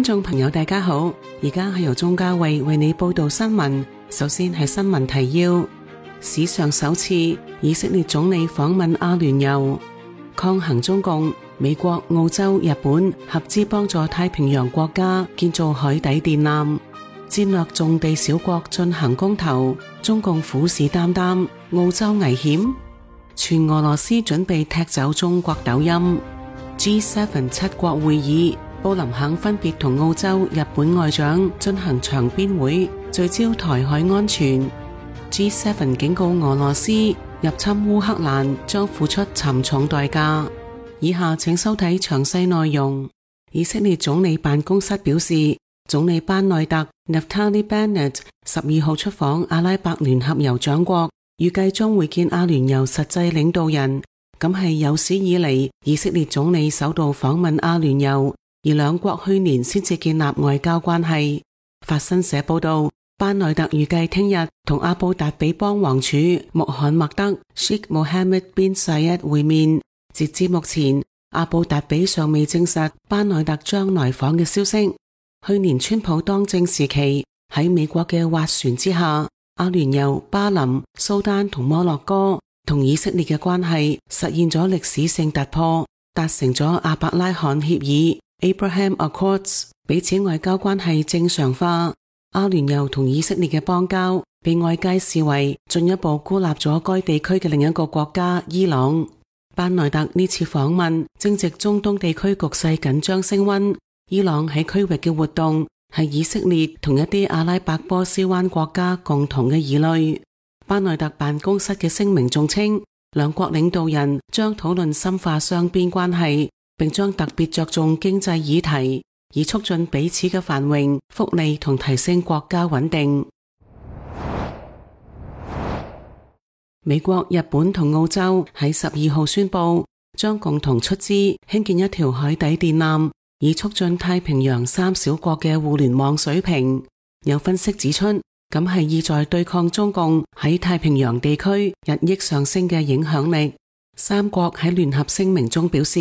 眾朋友大家好，而家係由鍾嘉慧為你報道新聞。首先係新聞提要：史上首次以色列總理訪問阿聯酋，抗衡中共，美國、澳洲、日本合資幫助太平洋國家建造海底電纜，戰略重地小國進行公投，中共虎視眈眈，澳洲危險，全俄羅斯準備踢走中國抖音。G7 七國會議，布林肯分別同澳洲、日本外長進行場邊會，聚焦台海安全。G7 警告俄羅斯入侵烏克蘭將付出沉重代價。以下請收睇詳細內容。以色列總理辦公室表示，總理班內特 Naftali Bennett 12號出訪阿拉伯聯合酋長國，預計將會見阿聯酋實際領導人。咁係有史以嚟以色列總理首度訪問阿聯酋，而兩國去年先至建立外交關係。法新社報道，班內特預計聽日同阿布達比邦王儲穆罕默德 Sheikh Mohammed bin Zayed 會面。截至目前，阿布達比尚未證實班內特將來訪嘅消息。去年川普當政時期，喺美國嘅斡旋之下，阿聯酋、巴林、蘇丹同摩洛哥同以色列嘅關係實現咗歷史性突破，達成咗阿伯拉罕協議 Abraham Accords， 彼此外交關係正常化。阿聯酋同以色列嘅邦交被外界視為進一步孤立咗該地區嘅另一個國家伊朗。班內特呢次訪問正值中東地區局勢緊張升溫，伊朗喺區域嘅活動係以色列同一啲阿拉伯波斯灣國家共同嘅疑慮。班內特辦公室嘅聲明仲稱，兩國領導人將討論深化雙邊關係，並將特別着重經濟議題，以促進彼此嘅繁榮、福利同提升國家穩定。美國、日本同澳洲喺12號宣布，將共同出資興建一條海底電纜，以促進太平洋三小國嘅互聯網水平。有分析指出，咁係意在對抗中共喺太平洋地區日益上升嘅影響力。三國喺聯合聲明中表示，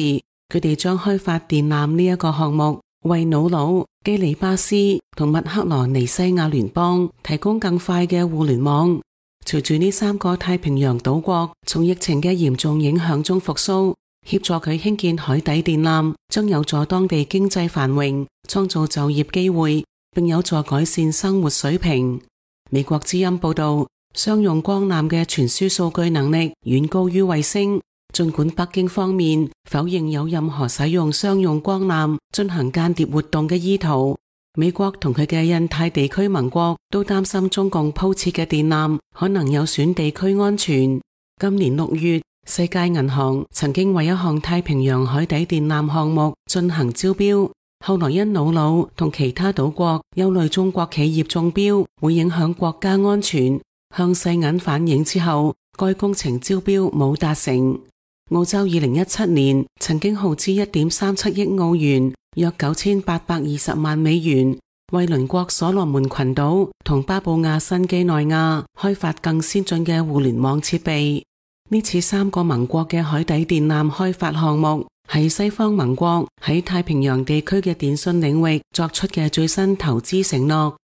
佢哋將開發電纜呢一個項目，為瑙魯、基里巴斯同密克羅尼西亞聯邦提供更快嘅互聯網。隨住呢三個太平洋島國從疫情嘅嚴重影響中復甦，協助佢興建海底電纜，將有助當地經濟繁榮，創造就業機會，並有助改善生活水平。美國之音報道，商用光纜嘅傳輸數據能力遠高於衛星。儘管北京方面否認有任何使用商用光纜進行間諜活動嘅意圖，美國同佢嘅印太地區盟國都擔心中共鋪設嘅電纜可能有損地區安全。今年6月，世界銀行曾經為一項太平洋海底電纜項目進行招標，後來因瑙魯同其他島國憂慮中國企業中標會影響國家安全，向世銀反映之後，該工程招標冇達成。澳洲2017年曾經耗資 1.37 億澳元，約9820萬美元，為鄰國所羅門群島同巴布亞新幾內亞開發更先進嘅互聯網設備。呢次三個盟國嘅海底電纜開發項目係西方盟國喺太平洋地區嘅電信領域作出嘅最新投資承諾。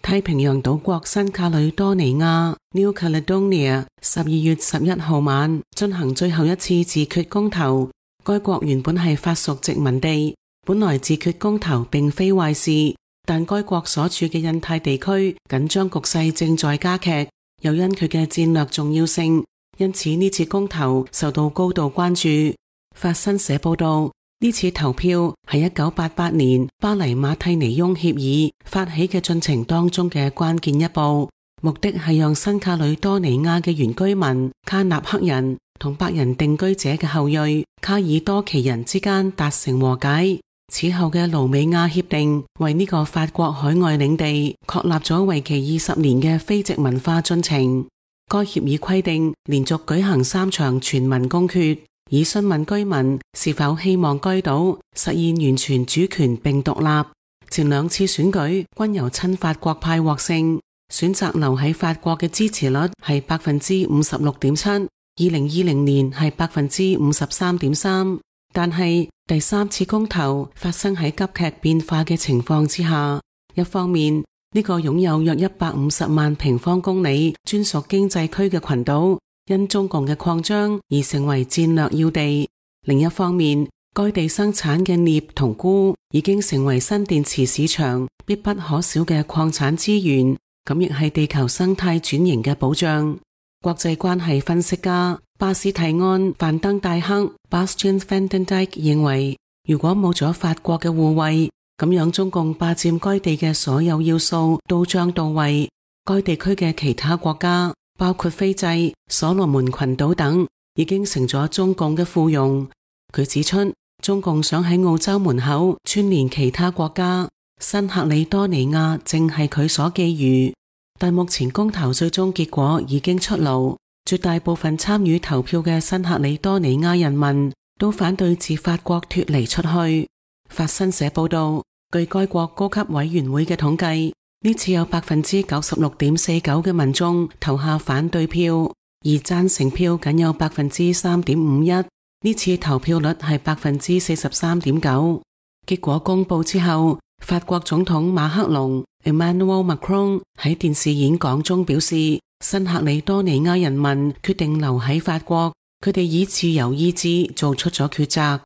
太平洋島國新卡里多尼亞 New Caledonia 12月11號晚進行最後一次自決公投。該國原本係法屬殖民地，本來自決公投並非壞事，但該國所處嘅印太地區緊張局勢正在加劇，又因佢嘅戰略重要性，因此呢次公投受到高度關注。法新社報道，呢次投票係1988年巴黎馬蒂尼翁協議發起嘅進程當中嘅關鍵一步，目的係讓新卡里多尼亞嘅原居民卡納克人同白人定居者嘅後裔卡爾多奇人之間達成和解。此後嘅盧美亞協定為呢個法國海外領地確立咗為期20年嘅非殖民化進程。該協議規定連續舉行3場全民公決，以詢問居民是否希望該島實現完全主權並獨立。前2次選舉均由親法國派獲勝，選擇留喺法國嘅支持率係 56.7%， 2020年係 53.3%。但係第三次公投發生喺急劇變化嘅情況之下，一方面呢個擁有約150萬平方公里專屬經濟區嘅群島，因中共嘅擴張而成為戰略要地；另一方面，該地生產嘅鎳同鈷已經成為新電池市場必不可少嘅礦產資源，咁亦係地球生態轉型嘅保障。國際關係分析家巴斯蒂安·范登戴克 Bastian van den Dijk 認為，如果冇咗法國嘅護衛，咁樣中共霸佔該地嘅所有要素都將到位。該地區嘅其他國家，包括斐濟、所羅門群島等，已經成咗中共嘅附庸。佢指出，中共想喺澳洲門口串聯其他國家，新喀里多尼亞正係佢所覬覦。但目前公投最終結果已經出爐，絕大部分參與投票嘅新喀里多尼亞人民都反對自法國脫離出去。法新社報道，據該國高級委員會嘅統計，呢次有 96.49% 嘅民眾投下反對票，而贊成票僅有 3.51%。呢次投票率係 43.9%。結果公布之後，法國總統馬克龍 Emmanuel Macron 喺電視演講中表示，新喀里多尼亞人民決定留喺法國，佢哋以自由意志做出咗抉擇。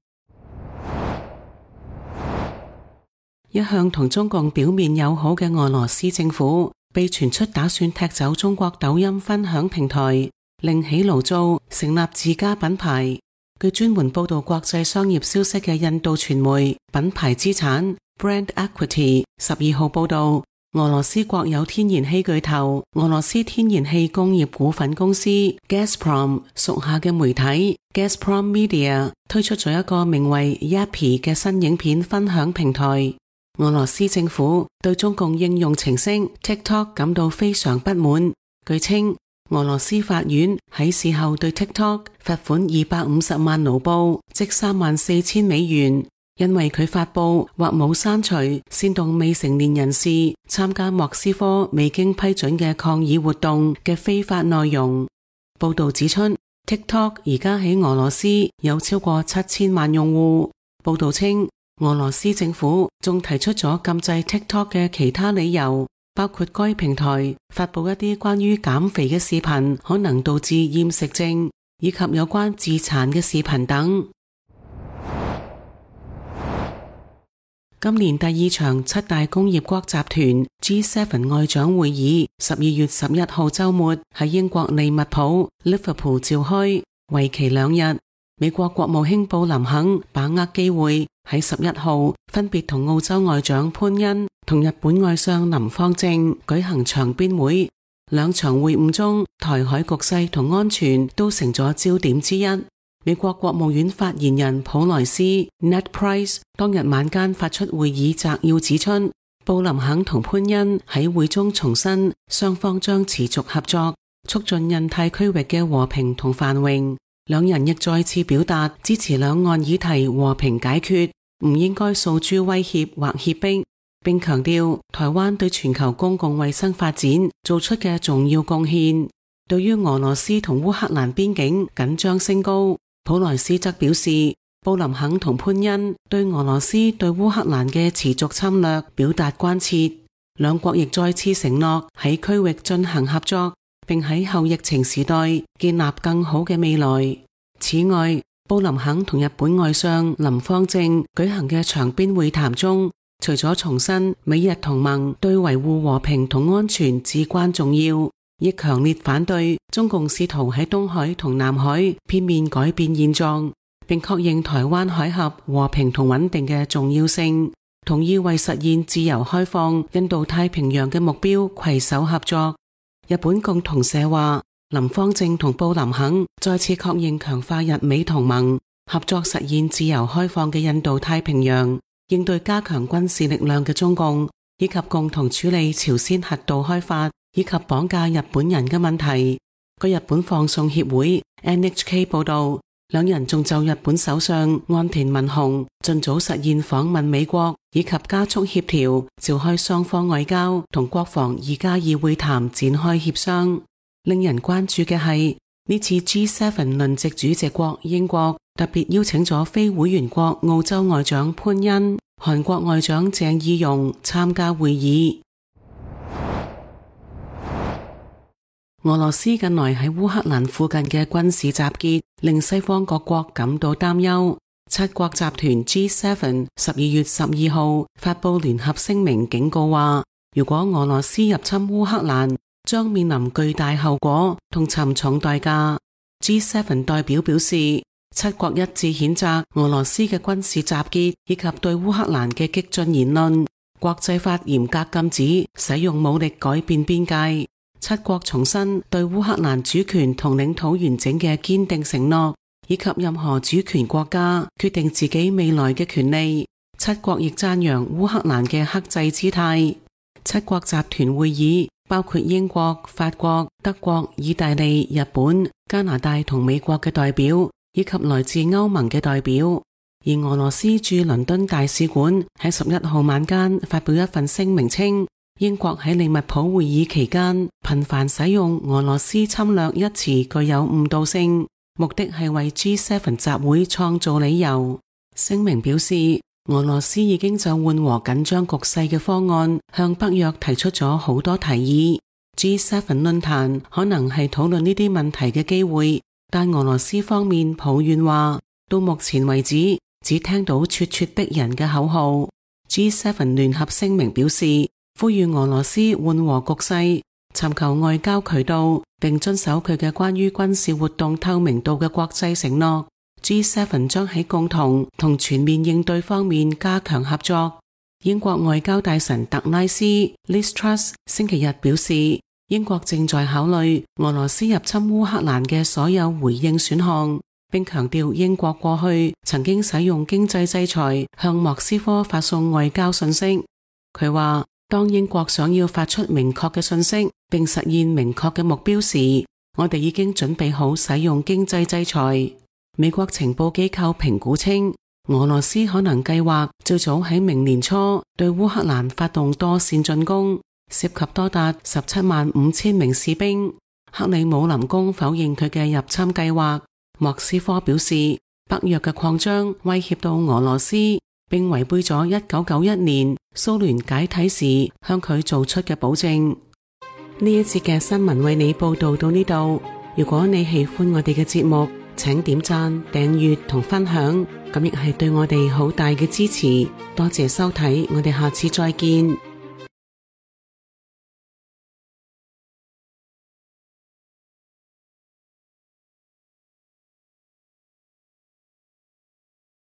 一向同中共表面友好嘅俄羅斯政府被傳出打算踢走中國抖音分享平台，另起爐灶成立自家品牌。據專門報道國際商業消息嘅印度傳媒品牌資產 Brand Equity 12號報道，俄羅斯國有天然氣巨頭俄羅斯天然氣工業股份公司 Gazprom 屬下嘅媒體 Gazprom Media 推出咗一個名為 Yappy 嘅新影片分享平台。俄羅斯政府對中共應用程式 TikTok 感到非常不滿。據稱，俄羅斯法院喺事後對 TikTok 罰款250萬盧布，即34,000美元，因為佢發布或冇刪除煽動未成年人士參加莫斯科未經批准嘅抗議活動嘅非法內容。報道指出，TikTok 而家喺俄羅斯有超過7000萬用戶。報道稱，俄羅斯政府仲提出咗禁制 TikTok 嘅其他理由，包括該平台發布一啲關於減肥嘅視頻可能導致厭食症，以及有關自殘嘅視頻等。今年第二場七大工業國集團 G7 外長會議12月11號週末喺英國利物浦 Liverpool 召開，為期2日。美國國務卿布林肯把握機會喺11號分別同澳洲外長潘恩同日本外相林芳正舉行場邊會。兩場會晤中，台海局勢同安全都成咗焦點之一。美國國務院發言人普萊斯 Ned Price 當日晚間發出會議摘要，指出布林肯同潘恩喺會中重申雙方將持續合作，促進印太區域嘅和平同繁榮。兩人亦再次表達支持兩岸議題和平解決，唔應該訴諸威脅或脅迫，並強調台灣對全球公共衛生發展做出嘅重要貢獻。對於俄羅斯同烏克蘭邊境緊張升高，普萊斯則表示，布林肯同潘恩對俄羅斯對烏克蘭嘅持續侵略表達關切，兩國亦再次承諾喺區域進行合作，並喺後疫情時代建立更好嘅未來。此外，布林肯同日本外相林芳正舉行嘅場邊會談中，除咗重申美日同盟對維護和平同安全至關重要，亦強烈反對中共試圖喺東海同南海片面改變現狀，並確認台灣海峽和平同穩定嘅重要性，同意為實現自由開放印度太平洋嘅目標攜手合作。日本共同社話，林芳正同布林肯再次確認強化日美同盟合作實現自由開放嘅印度太平洋，應對加強軍事力量嘅中共，以及共同處理朝鮮核導開發以及綁架日本人嘅問題。據日本放送協會 NHK 報道，兩人仲就日本首相岸田文雄盡早實現訪問美國以及加速協調召開雙方外交同國防2+2會談展開協商。令人關注嘅係，呢次 G7 輪值主席國英國特別邀請咗非會員國澳洲外長潘恩、韓國外長鄭義溶參加會議。俄羅斯近來喺烏克蘭附近嘅軍事集結，令西方各國感到擔憂。七國集團 G7 12月12號發布聯合聲明，警告話，如果俄羅斯入侵烏克蘭，將面臨巨大後果同沉重代價。G7 代表表示，七國一致譴責俄羅斯嘅軍事集結以及對烏克蘭嘅激進言論，國際法嚴格禁止使用武力改變邊界。七國重申對烏克蘭主權同領土完整嘅堅定承諾，以及任何主權國家決定自己未來嘅權利。七國亦讚揚烏克蘭嘅克制姿態。七國集團會議包括英國、法國、德國、意大利、日本、加拿大同美國嘅代表，以及來自歐盟嘅代表。而俄羅斯駐倫敦大使館喺11號晚間發表一份聲明稱，英國喺利物浦會議期間頻繁使用俄羅斯侵略一詞具有誤導性，目的係為 G7 集會創造理由。聲明表示，俄羅斯已經就緩和緊張局勢嘅方案向北約提出咗好多提議。G7 論壇可能係討論呢啲問題嘅機會，但俄羅斯方面抱怨話，到目前為止只聽到咄咄逼人嘅口號。G7 聯合聲明表示，呼籲俄羅斯緩和局勢，尋求外交渠道，並遵守佢嘅關於軍事活動透明度嘅國際承諾。G7 將喺共同同全面應對方面加強合作。英國外交大臣特拉斯 Liz Truss 星期日表示，英國正在考慮俄羅斯入侵烏克蘭嘅所有回應選項，並強調英國過去曾經使用經濟制裁向莫斯科發送外交信息。佢話，當英國想要發出明確嘅信息並實現明確嘅目標時，我哋已經準備好使用經濟制裁。美國情報機構評估稱，俄羅斯可能計劃最早喺明年初對烏克蘭發動多線進攻，涉及多達175000名士兵。克里姆林宮否認佢嘅入侵計劃。莫斯科表示，北約嘅擴張威脅到俄羅斯，並違背咗1991年蘇聯解體時向佢做出嘅保證。呢一節嘅新聞為你報道到呢度。如果你喜歡我哋嘅節目，請點讚、訂閱同分享，咁亦係對我哋好大嘅支持。多謝收睇，我哋下次再見。